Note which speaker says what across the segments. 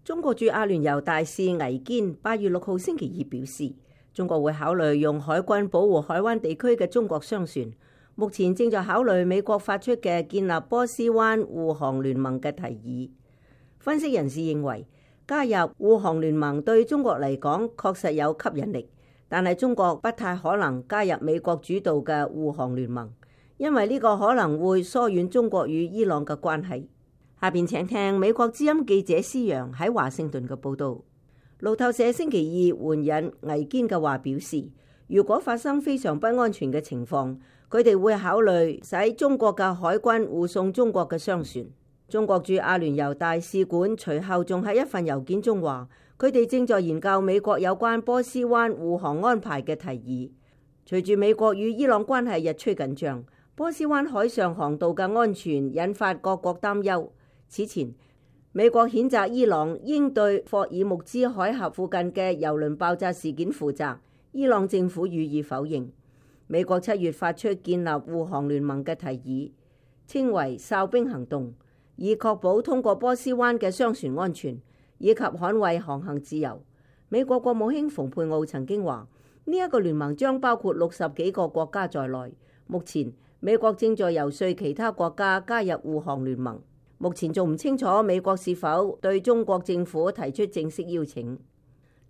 Speaker 1: 中國駐阿聯酋大使倪堅8月6號星期二表示，中國會考慮用海軍保護海灣地區嘅中國商船，目前正在考慮美國發出嘅建立波斯灣護航聯盟嘅提議。分析人士認為，加入護航聯盟對中國嚟講確實有吸引力，但係中國不太可能加入美國主導嘅護航聯盟，因為呢個可能會疏遠中國與伊朗嘅關係。下邊請聽美國之音記者施陽喺華盛頓嘅報導。路透社星期二援引倪堅嘅話表示，如果發生非常不安全嘅情況，佢哋會考慮使中國嘅海軍護送中國嘅商船。中國駐阿聯酋大使館隨後仲喺一份郵件中話，佢哋正在研究美國有關波斯灣護航安排嘅提議。隨住美國與伊朗關係日趨緊張，波斯灣海上航道嘅安全引發各國擔憂。此前，美國譴責伊朗應對霍爾木茲海峽附近嘅油輪爆炸事件負責，伊朗政府予以否認。美國7月發出建立護航聯盟嘅提議，稱為哨兵行動，以確保通過波斯灣嘅商船安全，以及捍衛航行自由。美國國務卿蓬佩奧曾經話，呢一個聯盟將包括60幾個國家在內。目前，美國正在遊說其他國家加入護航聯盟。目前仲唔清楚美國是否對中國政府提出正式邀請。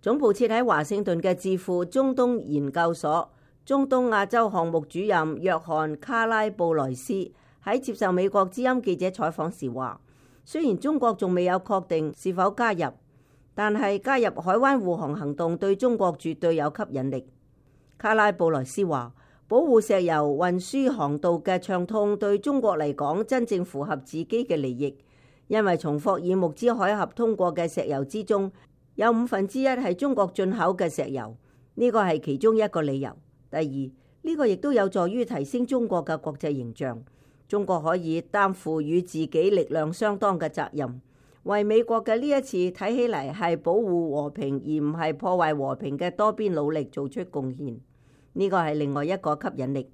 Speaker 1: 總部設喺華盛頓嘅智庫中東研究所中東亞洲項目主任約翰卡拉布萊斯喺接受美國之音記者採訪時話，雖然中國仲未有確定是否加入，但係加入海灣護航行動對中國絕對有吸引力。卡拉布萊斯話，保護石油運輸航道嘅暢通對中國嚟講真正符合自己嘅利益，因為從霍爾木茲海峽通過嘅石油之中，有1/5係中國進口嘅石油，呢個係其中一個理由。第二，呢個亦都有助於提升中國嘅國際形象，中國可以擔負與自己力量相當嘅責任，為美國嘅呢一次睇起嚟係保護和平而唔係破壞和平嘅多邊努力做出貢獻。呢個係另外一個吸引力。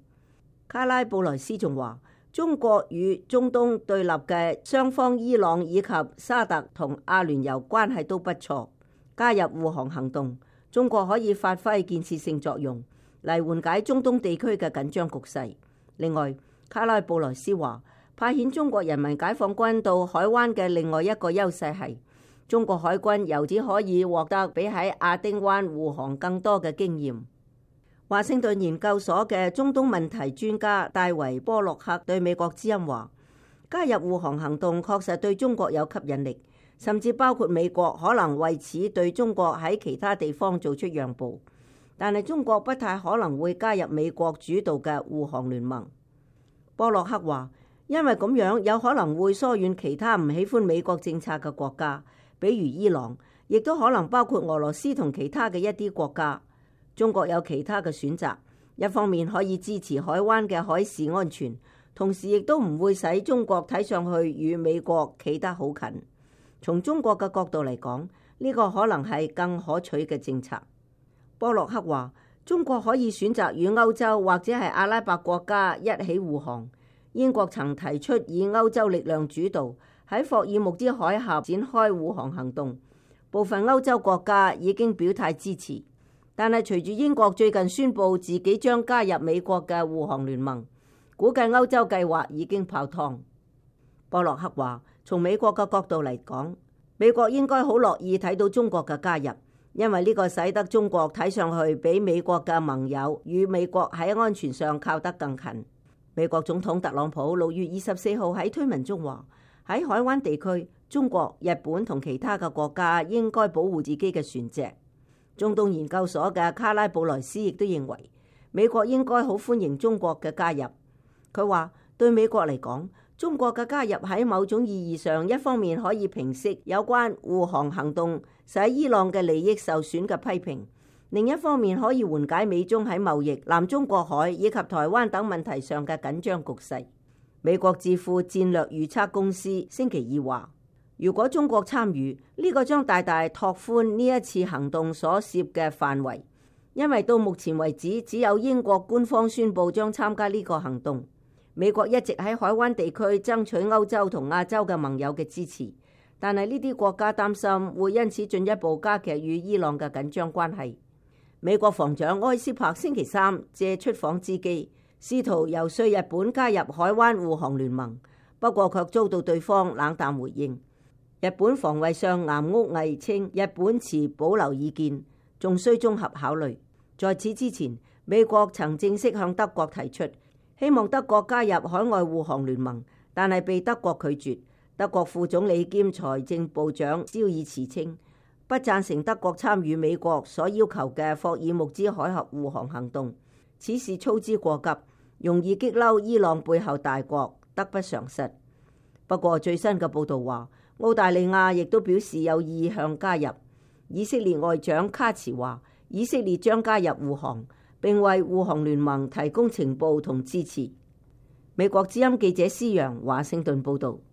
Speaker 1: 卡拉布萊斯仲話，中國與中東對立嘅雙方伊朗以及沙特同阿聯酋關係都不錯，加入護航行動，中國可以發揮建設性作用嚟緩解中東地區嘅緊張局勢。另外，卡拉布萊斯話，派遣中國人民解放軍到海灣嘅另外一個優勢係，中國海軍由此可以獲得比喺亞丁灣護航更多嘅經驗。華盛頓研究所嘅中東問題專家戴維波洛克對美國之音話，加入護航行動確實對中國有吸引力，甚至包括美國可能為此對中國喺其他地方做出讓步，但係中國不太可能會加入美國主導嘅護航聯盟。波洛克話，因為咁樣有可能會疏遠其他唔喜歡美國政策嘅國家，比如伊朗，亦都可能包括俄羅斯同其他嘅一啲國家。中國有其他嘅選擇，一方面可以支持海灣嘅海事安全，同時亦都唔會使中國睇上去與美國企得好近。從中國嘅角度嚟講，呢個可能係更可取嘅政策。波洛克話，中國可以選擇與歐洲或者係阿拉伯國家一起護航。英國曾提出以歐洲力量主導喺霍爾木茲海峽展開護航行動，部分歐洲國家已經表態支持。但係隨住英國最近宣布自己將加入美國嘅護航聯盟，估計歐洲計劃已經泡湯。波洛克話，從美國嘅角度嚟講，美國應該好樂意睇到中國嘅加入，因為呢個使得中國睇上去比美國嘅盟友與美國喺安全上靠得更近。美國總統特朗普6月24號喺推文中話，喺海灣地區，中國、日本同其他嘅國家應該保護自己嘅船隻。中東研究所嘅卡拉布萊斯亦都認為，美國應該好歡迎中國嘅加入。佢話，對美國嚟講，中國嘅加入喺某種意義上，一方面可以平息有關護航行動使伊朗嘅利益受損嘅批評，另一方面可以緩解美中喺貿易、南中國海以及台灣等問題上嘅緊張局勢。美國智庫戰略預測公司星期二話，如果中國參與，呢個將大大拓寬呢一次行動所涉嘅範圍，因為到目前為止，只有英國官方宣布將參加呢個行動。美國一直喺海灣地區爭取歐洲同亞洲嘅盟友嘅支持，但係呢啲國家擔心會因此進一步加劇與伊朗嘅緊張關係。美國防長埃斯珀星期三借出訪之機，試圖遊說日本加入海灣護航聯盟，不過卻遭到對方冷淡回應。日本防衛相岩屋毅稱，日本持保留意見，仲需綜合考慮。在此之前，美國曾正式向德國提出，希望德國加入海外護航聯盟，但係被德國拒絕。德國副總理兼財政部長肖爾茨稱，不贊成德國參與美國所要求嘅霍爾木茲海峽護航行動，此事操之過急，容易激嬲伊朗背後大國，得不償失。不過最新嘅報道話，澳大利亞亦都表示有意向加入。以色列外長卡茨話，以色列將加入護航，並為護航聯盟提供情報同支持。美國之音記者施揚華盛頓報道。